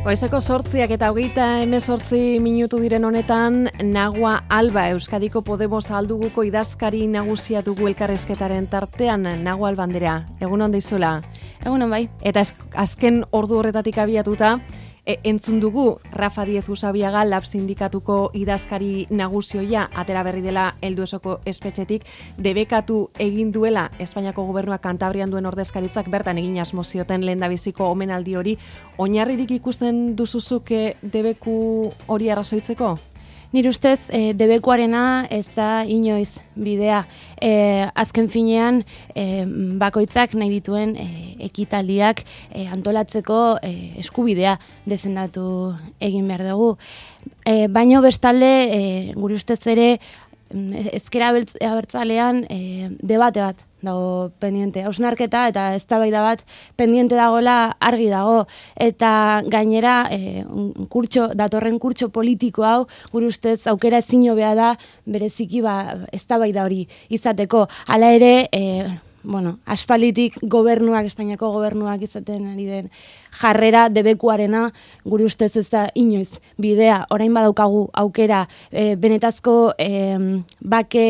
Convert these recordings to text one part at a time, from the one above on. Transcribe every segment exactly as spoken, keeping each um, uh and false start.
Goizeko sortziak eta hogeita hemezortzi minutu diren honetan, Nagua Alba, Euskadiko Podemos alduguko idazkari nagusia dugu elkarrizketaren tartean. Nagua Alba andrea, egun on deizula. Egunon bai. Eta azken ordu horretatik abiatuta, e, entzun dugu Rafa Díez Usabiaga Lab sindikatuko idazkari naguzioia atera berri dela helduesoko espetxetik, debekatu egin duela Espainiako gobernuak Kantabrian duen ordezkaritzak bertan egin asmo zioten lehendabiziko omenaldi hori. Oinarririk ikusten duzuzuk debeku hori arrazoitzeko? Nire ustez, e, debekuarena ez da inoiz bidea. E, azken finean, e, bakoitzak nahi dituen e, ekitaldiak e, antolatzeko e, eskubidea defendatu egin behar dugu. E, baino bestalde, e, gure ustez ere, ezkera abertzalean e, debate bat dago pendiente. Hausnarketa eta eztabaida bat pendiente dagoela argi dago. Eta gainera, e, kurtso, datorren kurtso politiko hau, gure ustez aukera ezin hobea da bereziki ba, eztabaida hori izateko. Hala ere, e, bueno, aspalditik gobernuak, Espainiako gobernuak izaten ari den jarrera debekuarena, gure ustez ez da inoiz bidea. Orain badaukagu aukera e, benetazko e, bake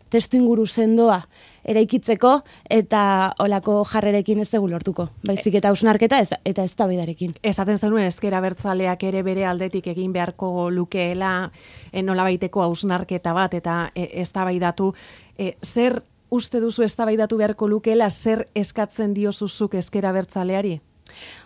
testu inguru sendoa eraikitzeko eta olako jarrerekin ez dugu lortuko. Baizik eta hausnarketa eta eztabaidarekin. Esaten zenuen ezker abertzaleak ere bere aldetik egin beharko lukeela e, nolabaiteko hausnarketa bat eta e, eztabaidatu. E, zer uste duzu eztabaidatu beharko lukeela, zer eskatzen diozuzuk ezker abertzaleari?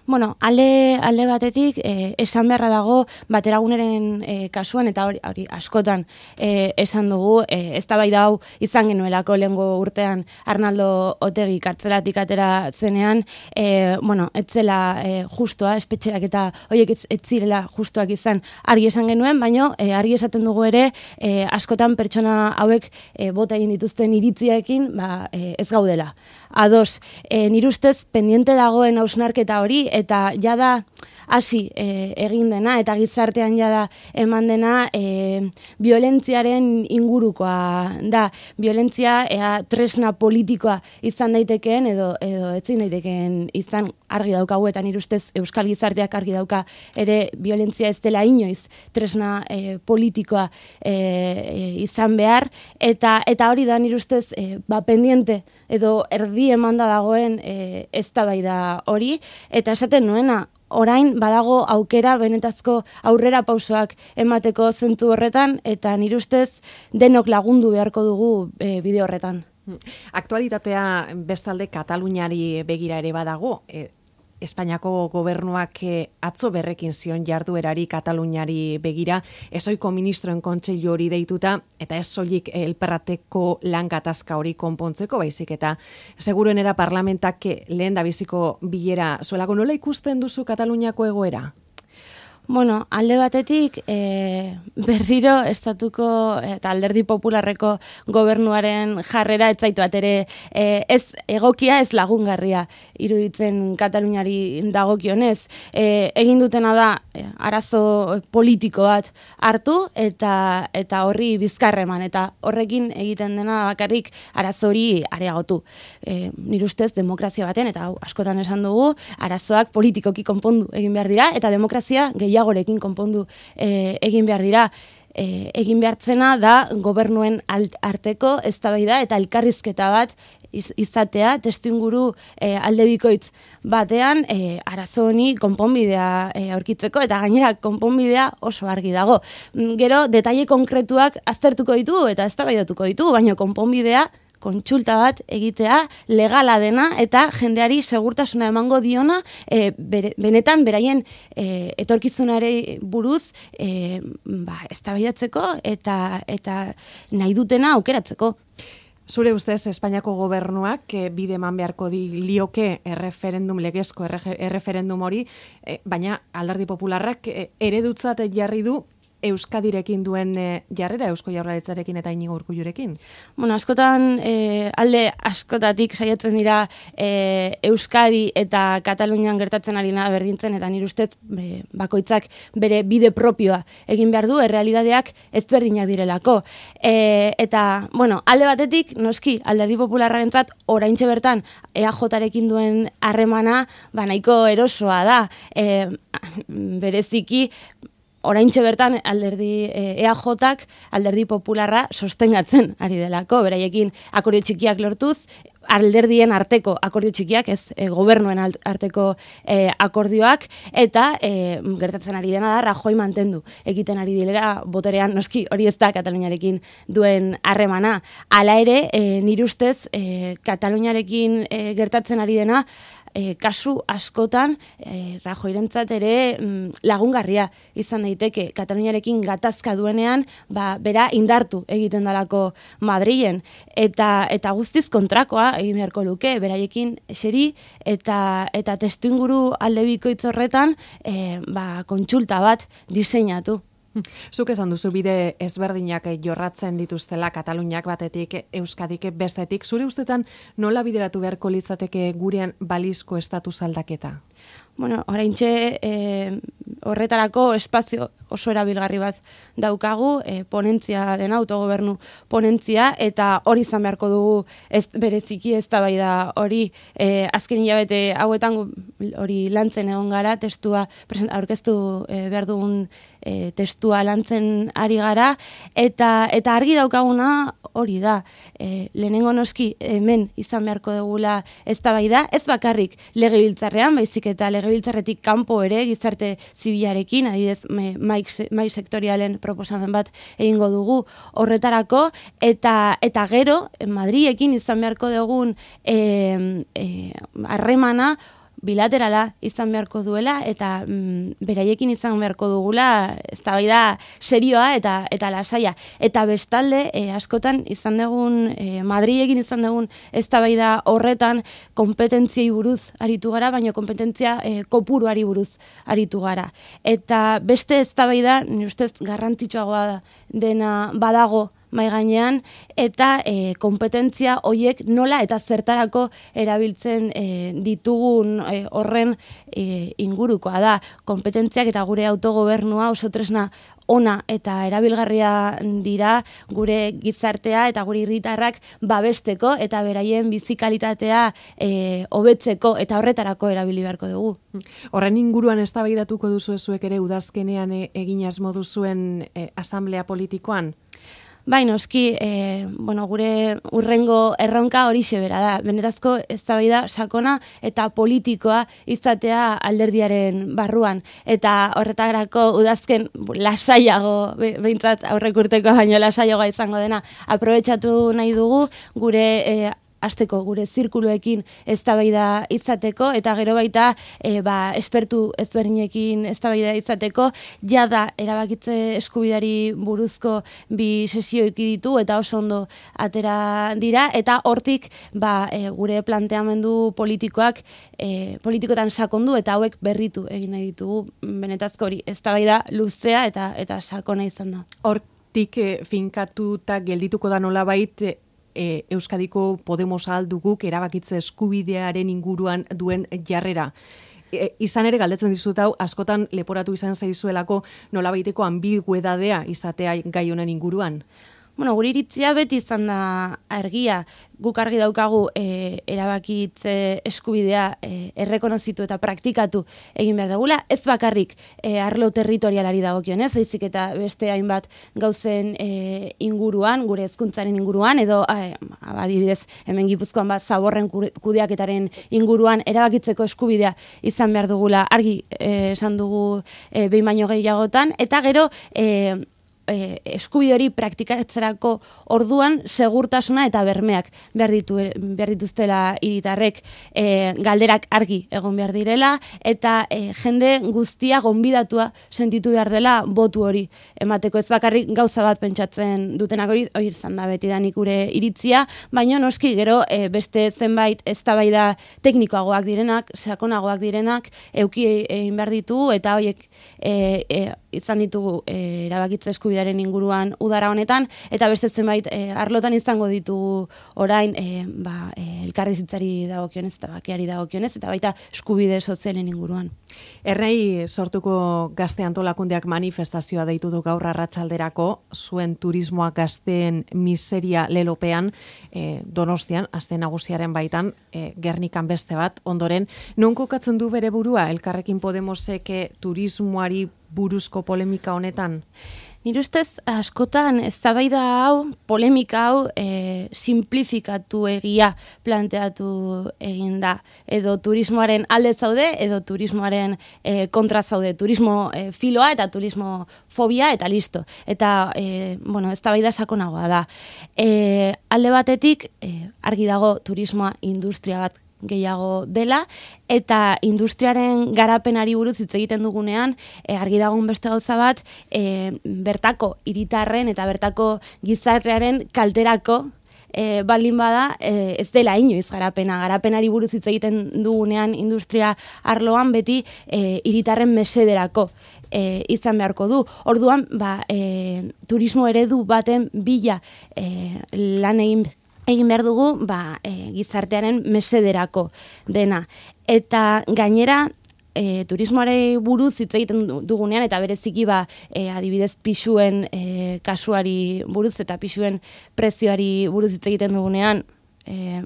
Bueno, alde, alde batetik, eh, esan beharra dago bateraguneren eh, kasuan, eta hori, hori askotan eh, esan dugu, eh, eztabaida hau izan genuelako lehengo urtean Arnaldo Otegi kartzelatik atera zenean, eh, bueno, etzela eh, justoa, espetxerak eta horiek ez, ez zirela justoak izan argi esan genuen, baino eh, argi esaten dugu ere, eh, askotan pertsona hauek eh, bota egin dituzten iritziekin, ba, eh, ez gaudela. Ados, eh, nire ustez, pendiente dagoen hausnarketa hori, eta jada hasi e, egin dena, eta gizartean jada eman dena e, violentziaren ingurukoa da. Violentzia ea tresna politikoa izan daitekeen, edo, edo etzin daitekeen izan argi daukagu, eta nire ustez Euskal Gizarteak argi dauka ere violentzia ez dela inoiz tresna e, politikoa e, e, izan behar, eta eta hori da nire ustez e, ba, pendiente edo erdi emanda dagoen e, eztabaida hori, eta esaten nuena, orain badago aukera benetazko aurrera pausoak emateko zentzu horretan, eta nire ustez denok lagundu beharko dugu e, bide horretan. Aktualitatea bestalde Kataluniari begira ere badago. E, Espainiako gobernuak atzo berrekin zion jarduerari Kataluniari begira, ezoiko ministroen kontseilu hori deituta, eta ez soilik elperrateko lan gatazka hori konpontzeko, baizik eta seguruenera parlamentak lehen da biziko bilera zuelako. Nola ikusten duzu Kataluniako egoera? Bueno, alde batetik, e, berriro estatuko eta alderdi popularreko gobernuaren jarrera etzaitu atere e, ez egokia, ez lagungarria iruditzen Kataluniari dagokionez. E, egin dutena da e, arazo politiko bat hartu eta eta horri bizkarreman, eta horrekin egiten dena bakarrik arazo hori areagotu. E, nire ustez demokrazia baten, eta hau askotan esan dugu, arazoak politikoki konpondu egin behar dira, eta demokrazia gehiago gorekin konpondu e, egin behar dira. E, egin behartzena da gobernuen arteko eztabaida eta elkarrizketa bat iz, izatea, testuinguru e, aldebikoitz batean e, arazo honi konponbidea e, aurkitzeko, eta gainera konponbidea oso argi dago. Gero, detaile konkretuak aztertuko ditu eta eztabaidatuko ditu, baina konponbidea kontsulta bat egitea legala dena eta jendeari segurtasuna emango diona e, bere, benetan beraien e, etorkizunari buruz e, ba, eztabaidatzeko eta eta nahi dutena aukeratzeko. Zure ustez, Espainiako gobernuak e, bide eman beharko di lioke erreferendum, legezko erreferendum hori, e, baina alderdi popularrak e, eredutzat jarri du Euskadirekin duen e, jarrera, Eusko Jaurlaritzarekin eta Inigo Urkullurekin? Bueno, askotan e, alde askotatik saiatzen dira e, Euskadi eta Katalunian gertatzen ari na berdintzen, eta nire ustez be, bakoitzak bere bide propioa egin behar du, errealitateak ezberdinak direlako. E, eta, bueno, alde batetik, noski, Alderdi Popularrarentzat oraintxe bertan E A Jorekin duen harremana ba nahiko erosoa da. E, bereziki, oraintxe bertan alderdi E A Jak Alderdi Popularra sostengatzen ari delako, beraiekin akordio txikiak lortuz, alderdien arteko akordio txikiak, ez e, gobernuen arteko e, akordioak, eta e, gertatzen ari dena da Rajoy mantendu egiten ari dilera boterean, noski hori ez da Kataluniarekin duen harremana. Hala ere, e, nire ustez, e, Kataluniarekin e, gertatzen ari dena, E, kasu askotan e, Rajoyrentzat ere mm, lagungarria izan daiteke. Kataluniarekin gatazka duenean, ba, bera indartu egiten dalako Madrilen, eta eta guztiz kontrakoa egin beharko luke, beraiekin eseri eta eta testuinguru alde bikoitz horretan e, ba, kontsulta bat diseinatu. Zuk esan duzu bide ezberdinak jorratzen dituztela, Kataluniak batetik, Euskadik bestetik. Zure ustetan nola bideratu beharko litzateke gurean balizko estatus aldaketa? Bueno, oraintxe e, horretarako espazio oso erabilgarri bat daukagu, e, ponentzia den autogobernu ponentzia, eta hori izan beharko dugu ez, bereziki eztabaida hori. E, azken hilabete hauetan hori lantzen egon gara, testua aurkeztu e, behar dugun e, testua lantzen ari gara, eta eta argi daukaguna hori da. E, lehenengo noski hemen izan beharko dugula eztabaida, ez bakarrik legebiltzarrean, baizik eta legebiltzarretik kanpo ere gizarte zibilarekin, adibidez mai, mai sektorialen proposamen bat egingo dugu horretarako, eta eta gero Madrilekin izan beharko dugun harremana e, e, bilaterala izan beharko duela, eta mm, beraiekin izan beharko dugula eztabaida serioa eta eta lasaia. Eta bestalde, e, askotan izan dugun, e, Madrilekin izan dugun eztabaida horretan kompetentziei buruz aritu gara, baina kompetentzia e, kopuruari buruz aritu gara. Eta beste eztabaida, nire ustez garrantzitsuagoa da, dena badago mai gainean, eta e, kompetentzia hoiek nola eta zertarako erabiltzen e, ditugun e, horren e, ingurukoa da. Kompetentziak eta gure autogobernua oso tresna ona eta erabilgarria dira gure gizartea eta gure herritarrak babesteko eta beraien bizi kalitatea e, hobetzeko, eta horretarako erabili beharko dugu. Horren inguruan eztabaidatuko duzu zuek ere udazkenean e, egin asmo duzuen e, asamblea politikoan? Bai, noski, e, bueno, gure urrengo erronka horixe bera da. Benerazko eztabaida sakona eta politikoa izatea alderdiaren barruan. Eta horretarako udazken lasaiago, behintzat aurrek urteko baino lasaiagoa izango dena, aprobetxatu nahi dugu gure e, hasteko gure zirkuluekin eztabaida izateko, eta gero baita e, ba, espertu ezberdinekin eztabaida izateko, jada erabakitze eskubidari buruzko bi sesio ditu eta oso ondo atera dira, eta hortik ba, e, gure planteamendu politikoak e, politikotan sakondu eta hauek berritu egin nahi ditugu. Benetazko hori eztabaida luzea eta eta sakona izan da. Hortik e, finkatuta geldituko da nolabait e, E, Euskadiko Podemos alduguk erabakitze eskubidearen inguruan duen jarrera. E, izan ere galdetzen dizut hau, askotan leporatu izan zaizuelako nolabaiteko ambiguedadea izatea gai honen inguruan. Bueno, gure iritzia beti izan da argia. Guk argi daukagu e, erabakitze eskubidea e, errekonozitu eta praktikatu egin behar dugula. Ez bakarrik e, arlo territorialari dagokionez, baizik eta beste hainbat gauzen e, inguruan, gure hezkuntzaren inguruan, edo e, adibidez hemen Gipuzkoan bat zaborren kudeaketaren inguruan erabakitzeko eskubidea izan behar dugula argi e, esan dugu e, behin baino gehiagotan, eta gero e, e, eskubide hori praktikatzerako orduan segurtasuna eta bermeak behar, ditu, behar dituztela hiritarrek, e, galderak argi egon behar direla, eta e, jende guztia gonbidatua sentitu behar dela botu hori emateko. Ez bakarrik gauza bat pentsatzen dutenak hori, hori izan da beti da nik gure iritzia, baina noski gero e, beste zenbait eztabaida teknikoagoak direnak, sakonagoak direnak, euki egin behar ditu, eta horiek e, e, izan ditugu e, erabakitze eskubidearen inguruan udara honetan, eta beste zenbait e, arlotan izango ditugu orain e, ba, e, elkarbizitzari dagokionez eta bakeari dagokionez, eta baita eskubide sozialen inguruan. Ernai sortuko gazte antolakundeak manifestazioa deitu du gaur arratsalderako, zuen turismoa gazteen miseria lelopean, e, Donostian, aste nagusiaren baitan, e, Gernikan beste bat, ondoren, non kokatzen du bere burua, Elkarrekin Podemosek turismoari buruzko polemika honetan? Nire ustez, askotan, eztabaida hau, polemika hau, e, simplifikatu egia planteatu egin da. Edo turismoaren alde zaude, edo turismoaren e, kontra zaude. Turismo e, filoa eta turismo fobia eta listo. Eta, e, bueno, eztabaida sakonagoa da. E, alde batetik, e, argi dago turismoa industria bat gehiago dela, eta industriaren garapenari buruz hitz egiten dugunean, e, argi dagoen beste gauza bat, e, bertako hiritarren eta bertako gizartearen kalterako e, baldin bada, e, ez dela inoiz garapena. Garapenari buruz hitz egiten dugunean industria arloan beti e, hiritarren mesederako e, izan beharko du. Orduan, ba, e, turismo eredu baten bila e, lan egin egin behar dugu ba, e, gizartearen mesederako dena. Eta gainera, e, turismoare buruz hitz egiten dugunean, eta bereziki ba, e, adibidez pisuen e, kasuari buruz eta pisuen prezioari buruz hitz egiten dugunean, E,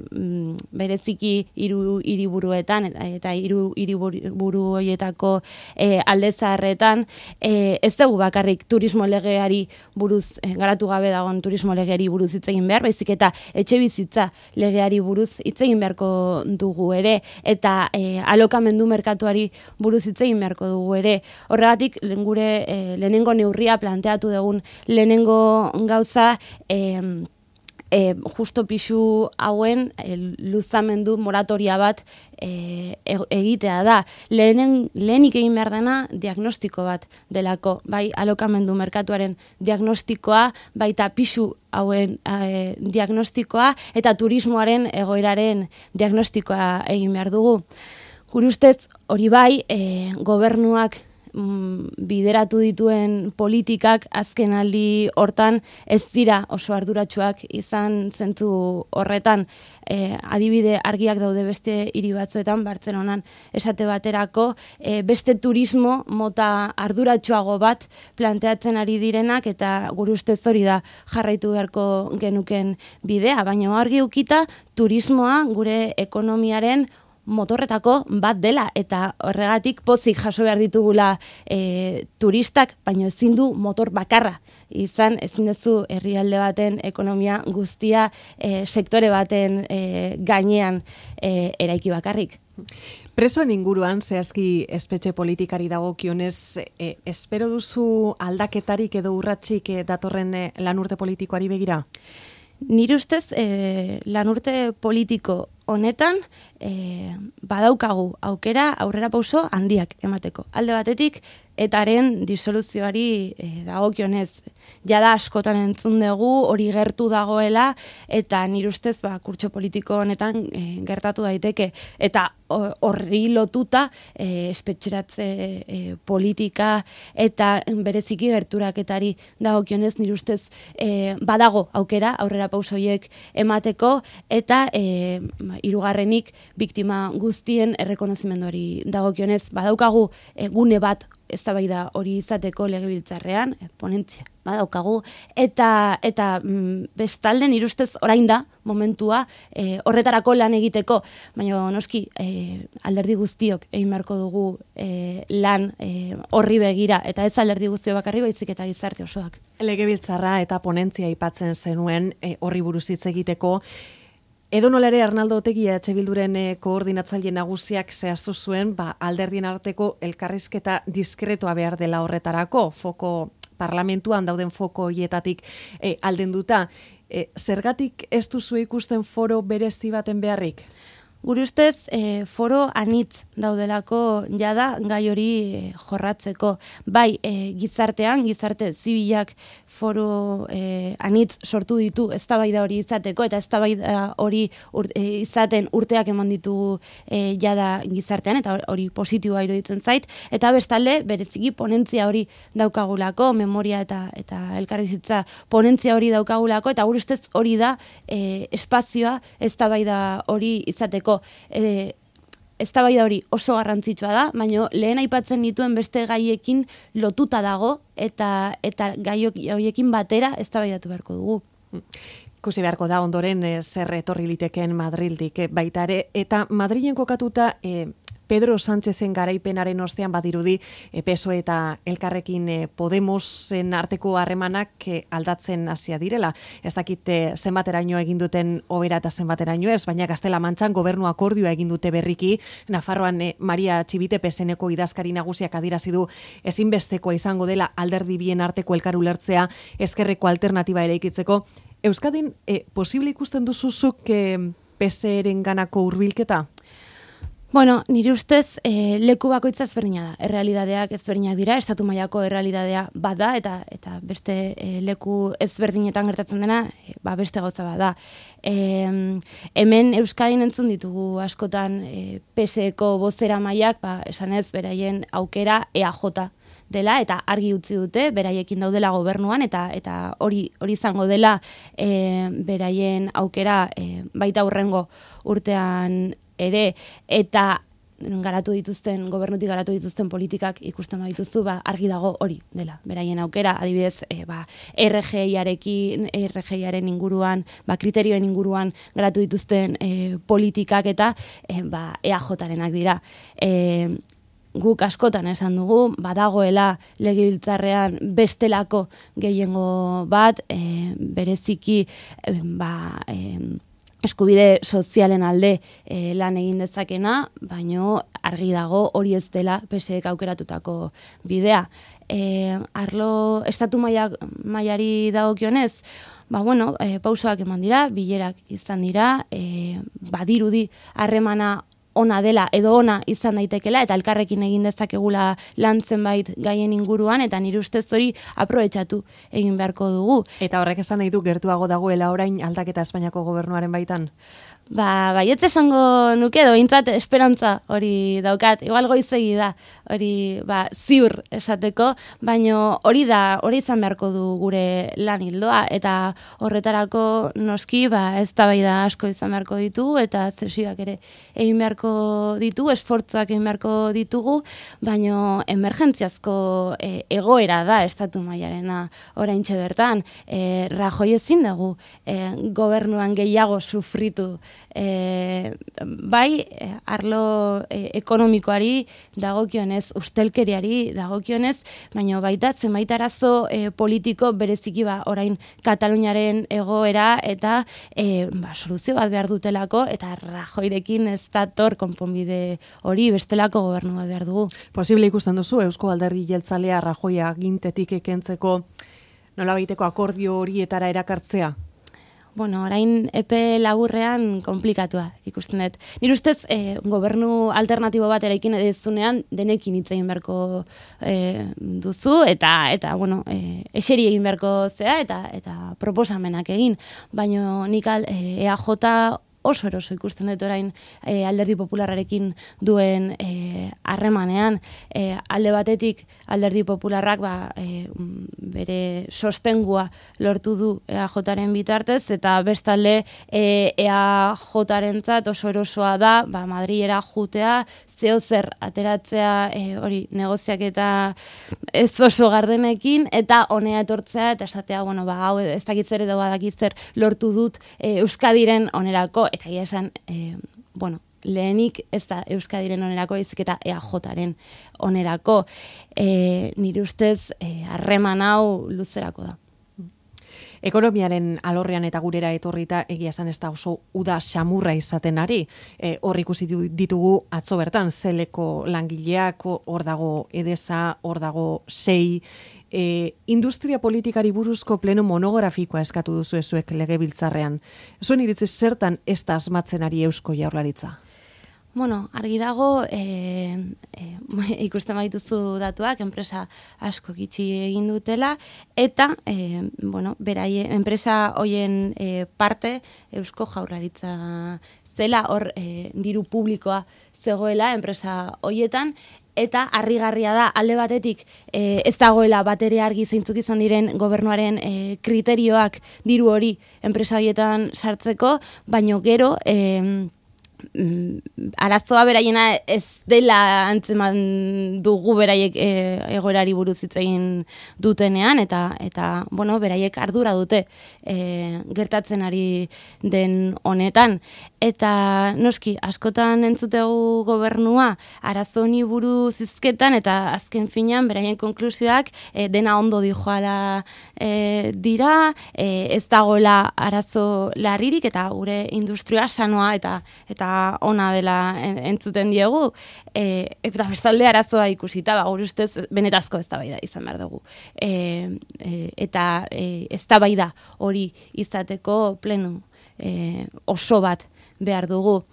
bereziki hiru hiriburuetan eta hiru hiriburu horietako e, alde zaharretan, e, ez dugu bakarrik turismo legeari buruz, e, garatu gabe dagoen turismo legeari buruz hitz egin behar, baizik eta etxebizitza legeari buruz hitz egin beharko dugu ere, eta e, alokamendu merkatuari buruz hitz egin beharko dugu ere. Horregatik, gure e, lehenengo neurria planteatu dugun lehenengo gauza, e, E, justo pixu hauen e, luzamendu moratoria bat e, egitea da. Lehenen, lehenik egin behar dena diagnostiko bat delako. Bai alokamendu merkatuaren diagnostikoa, baita pixu hauen e, diagnostikoa, eta turismoaren egoeraren diagnostikoa egin behar dugu. Gure ustez, hori bai, e, gobernuak bideratu dituen politikak azken aldi hortan ez dira oso arduratsuak izan zentzu horretan. E, adibide argiak daude beste hiri batzuetan, Bartzelonan esate baterako, e, beste turismo mota arduratsuago bat planteatzen ari direnak, eta gure ustez hori da jarraitu beharko genuken bidea, baina argi ukita turismoa gure ekonomiaren motorretako bat dela, eta horregatik pozik jaso behar ditugula e, turistak, baina ezin du motor bakarra izan, ezin duzu herrialde baten ekonomia guztia e, sektore baten e, gainean e, eraiki bakarrik. Presoen inguruan, zehazki espetxe politikari dagokionez, e, espero duzu aldaketarik edo urratzik e, datorren e, lanurte politikoari begira? Nire ustez, e, lanurte politiko honetan e, badaukagu aukera aurrera pauso handiak emateko. Alde batetik, etaren disoluzioari e, dagokionez, jada askotan entzun dugu, hori gertu dagoela, eta nire ustez ba, kurtso politiko honetan e, gertatu daiteke. Eta horri lotuta e, espetxeratze e, politika eta bereziki gerturaketari dagokionez nire ustez e, badago aukera aurrera pausoiek emateko, eta e, hirugarrenik biktima guztien errekonozimenduari dagokionez badaukagu e, gune bat eztabaida hori izateko legebiltzarrean, e, ponentzia badaukagu, eta eta mm, bestalde nire ustez orain da momentua e, horretarako lan egiteko, baina noski e, alderdi guztiok egin beharko dugu e, lan e, horri begira, eta ez alderdi guztiok bakarri baizik eta gizarte osoak. Legebiltzarra eta ponentzia aipatzen zenuen e, horri buruz hitz egiteko. Edo nola ere Arnaldo Otegi E H Bilduren e, koordinatzaile nagusiak zehaztu zuen, ba, alderdien arteko elkarrizketa diskretoa behar dela horretarako, foko parlamentuan dauden foko hietatik e, aldenduta. E, zergatik ez duzu ikusten foro berezi baten beharrik? Gure ustez, e, foro anitz daudelako jada gai hori e, jorratzeko. Bai, e, gizartean, gizarte zibilak foro e, anitz sortu ditu eztabaida hori izateko, eta eztabaida hori ur, e, izaten urteak eman ditugu e, jada gizartean, eta hori positiboa iruditzen zait, eta bestalde, bereziki ponentzia hori daukagulako, memoria eta eta elkarbizitza ponentzia hori daukagulako, eta gure ustez hori da e, espazioa eztabaida hori izateko. E, eztabaida hori oso garrantzitsua da, baina lehen aipatzen dituen beste gaiekin lotuta dago eta eta gai horiekin batera eztabaidatu beharko dugu. Ikusi beharko da ondoren e, zer etorri liteken Madrildik e, baita ere, eta Madrilen kokatuta e, Pedro Sánchezen garaipenaren ostean badirudi e, P S O E eta Elkarrekin e, Podemosen arteko harremanak e, aldatzen hasia direla. Ez dakit e, zenbateraino egin duten hobera eta zenbateraino ez, baina Gaztela-Mantxan gobernu akordioa egin dute berriki. Nafarroan e, Maria Txibite P S N-ko idazkari nagusiak adierazi du ezinbestekoa izango dela alderdi bien arteko elkar ulertzea ezkerreko alternatiba eraikitzeko. Euskadin e, posible ikusten duzuzuk e, P S E-ren ganako hurbilketa? Bueno, nire ustez e, leku bakoitza ezberdina da. Errealidadeak ezberdinak dira, estatu mailako errealidadea bada, eta eta beste e, leku ezberdinetan gertatzen dena, e, ba beste gauza bada. E, hemen Euskadin entzun ditugu askotan e, P S E-ko bozera mailak, ba, esanez beraien aukera E A J dela, eta argi utzi dute beraiekin daudela gobernuan, eta eta hori hori izango dela e, beraien aukera e, baita hurrengo urtean ere, eta garatu dituzten, gobernutik garatu dituzten politikak ikusten badituzu, ba, argi dago hori dela, beraien aukera, adibidez, e, ba, R G I-arekin, R G I-aren inguruan, ba, kriterioen inguruan garatu dituzten e, politikak eta e, ba, E A J-renak dira. E, guk askotan esan dugu, badagoela legebiltzarrean bestelako gehiengo bat, e, bereziki, e, ba, e, eskubide sozialen alde e, lan egin dezakena, baino argi dago hori ez dela P S E-ek aukeratutako bidea. E, arlo estatu mailak, mailari dagokionez, ba bueno, e, pausoak eman dira, bilerak izan dira, e, badirudi harremana ona dela edo ona izan daitekela, eta elkarrekin egin dezakegula lan zenbait gaien inguruan, eta nire ustez hori aprobetxatu egin beharko dugu. Eta horrek esan nahi du gertuago dagoela orain aldaketa Espainiako gobernuaren baitan? Ba, baietz esango nuke edo behintzat esperantza hori daukat. Igual goizegi da hori ba, ziur esateko, baino hori da, hori izan beharko du gure lan hildoa, eta horretarako noski ba, eztabaida asko izan beharko ditugu, eta zesioak ere egin beharko ditu, esfortzuak egin beharko ditugu, baino emergentziazko e, egoera da estatu mailarena oraintxe bertan. E, Rajoy ezin dugu e, gobernuan gehiago sufritu. E, bai, arlo e, ekonomikoari dagokionez, ustelkeriari dagokionez, baina baita zenbait arazo e, politiko bereziki ba orain Kataluniaren egoera eta e, ba, soluzio bat behar dutelako, eta Rajoyrekin ez dator konponbide hori, bestelako gobernu bat behar dugu. Posible ikusten duzu Eusko Alderdi Jeltzalea Rajoy agintetik ekentzeko nolabaiteko akordio horietara erakartzea? Bueno, orain epe laburrean konplikatua ikusten dut. Nire ustez, eh, gobernu alternatibo bat eraikin edezunean denekin hitz egin beharko eh, duzu, eta, eta bueno, eh, eseri egin beharko zea, eta, eta proposamenak egin. Baina nik eh, E A J oso eroso ikusten dut orain e, Alderdi Popularrarekin duen harremanean. E, alde batetik Alderdi Popularrak ba, e, bere sostengua lortu du E A Jaren bitartez, eta bestalde e, E A Jarentzat oso erosoa da ba, Madrilera jutea, zeo zer ateratzea e, hori negoziak eta ez oso gardenekin, eta honea etortzea, eta esatea, bueno, ba, hau ez dakitzer edo badakitzer lortu dut e, Euskadiren onerako, eta ia esan, e, bueno, lehenik ez da Euskadiren onerako, ezik eta E A Jaren onerako. E, nire ustez, harreman e, hau luzerako da. Ekonomiaren alorrean eta gurera etorrita egia esan ez da oso uda xamurra izaten ari. E, hor ikusi ditugu atzo bertan zeleko langileak, hor dago Edesa, hor dago sei. E, industria politikari buruzko pleno monografikoa eskatu duzu ezuek legebiltzarrean. Zuen iritzi zertan ez da asmatzen ari Eusko Jaurlaritza? Bueno, argi dago, e, e, ikusten baituzu datuak, enpresa asko gitxi egin dutela, eta, e, bueno, beraie, enpresa hoien e, parte Eusko Jaurlaritza zela, hor e, diru publikoa zegoela enpresa hoietan, eta harrigarria da alde batetik e, ez dagoela batere argi zeintzuk izan diren gobernuaren e, kriterioak diru hori enpresa hoietan sartzeko, baino gero e, arazoa beraiena ez dela antzeman dugu beraiek e, egoerari buruz hitz egin dutenean, eta eta bueno, beraiek ardura dute e, gertatzen ari den honetan. Eta noski, askotan entzutegu gobernua arazo honi buruz hizketan, eta azken finean beraien konklusioak e, dena ondo dijoala e, dira, e, ez dagoela arazo larririk, eta gure industria sanoa eta eta ona dela entzuten diegu, e, eta bestalde arazoa ikusita, ba, gure ustez benetazko eztabaida izan behar dugu. E, e, eta e, eztabaida hori izateko pleno e, oso bat behar dugu.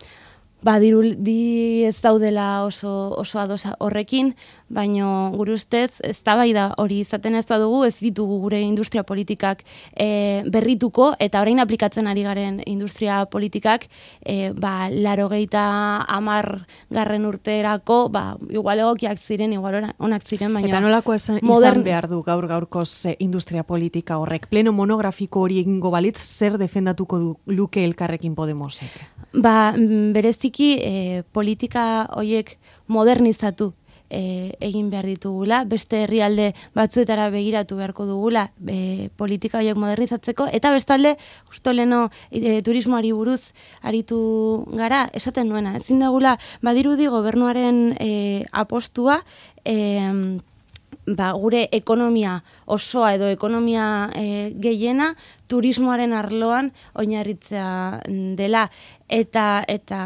Ba, dirudi ez daudela oso, oso adosa horrekin, baino gure ustez eztabaida hori izaten ez badugu, ez ditugu gure industria politikak e, berrituko, eta orain aplikatzen ari garen industria politikak e, ba, larogeita hamar garren urterako, ba, igual egokiak ziren, igual onak ziren, baina... Eta nolako izan modern... behar du gaur gaurkoz industria politika horrek? Pleno monografiko hori egingo balitz, zer defendatuko du luke Elkarrekin Podemosek? Ba, bereziki e, politika hoiek modernizatu e, egin behar ditugula, beste herrialde batzuetara begiratu beharko dugula e, politika hoiek modernizatzeko, eta bestalde, justo leno e, turismoari buruz aritu gara, esaten nuena, ezin dugula, badirudi gobernuaren e, apostua, e, ba, gure ekonomia osoa edo ekonomia e, gehiena turismoaren arloan oinarritzea dela, eta eta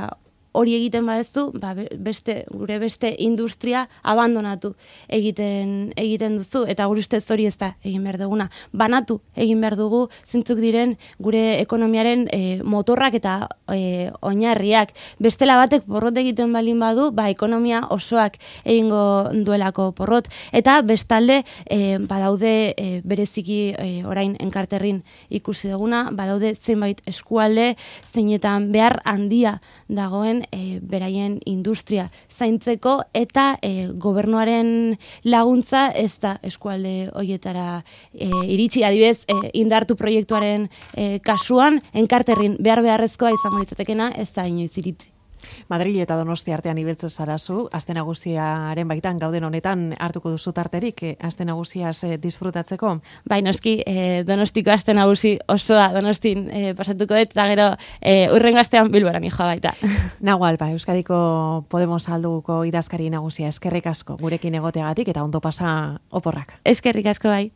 hori egiten badezu, ba, beste, gure beste industria abandonatu egiten egiten duzu, eta gure ustez hori ez da egin behar duguna. Banatu egin behar dugu zintzuk diren gure ekonomiaren e, motorrak eta e, oinarriak. Bestela batek porrot egiten balin badu, ba, ekonomia osoak egingo duelako porrot. Eta bestalde, e, badaude e, bereziki e, orain enkarterrin ikusi duguna, badaude zenbait eskualde, zeinetan behar handia dagoen E, beraien industria zaintzeko, eta e, gobernuaren laguntza ez da eskualde hoietara e, iritsi, adibidez e, indartu proiektuaren e, kasuan, enkarterrin behar beharrezkoa izango litzatekena ez da inoiz iritsi. Madril eta Donosti artean ibiltzen zarazu, aste nagusiaren baitan gauden honetan hartuko duzu tarterik, eh, aste nagusiaz eh, disfrutatzeko? Bai, noski, eh, Donostiko aste nagusi osoa Donostin eh, pasatuko dut, eta gero eh, urrengo astean Bilbora nijoa baita. Nago alba, Euskadiko Podemos alduko idazkari nagusia, eskerrik asko gurekin egoteagatik eta ondo pasa oporrak. Eskerrik asko bai.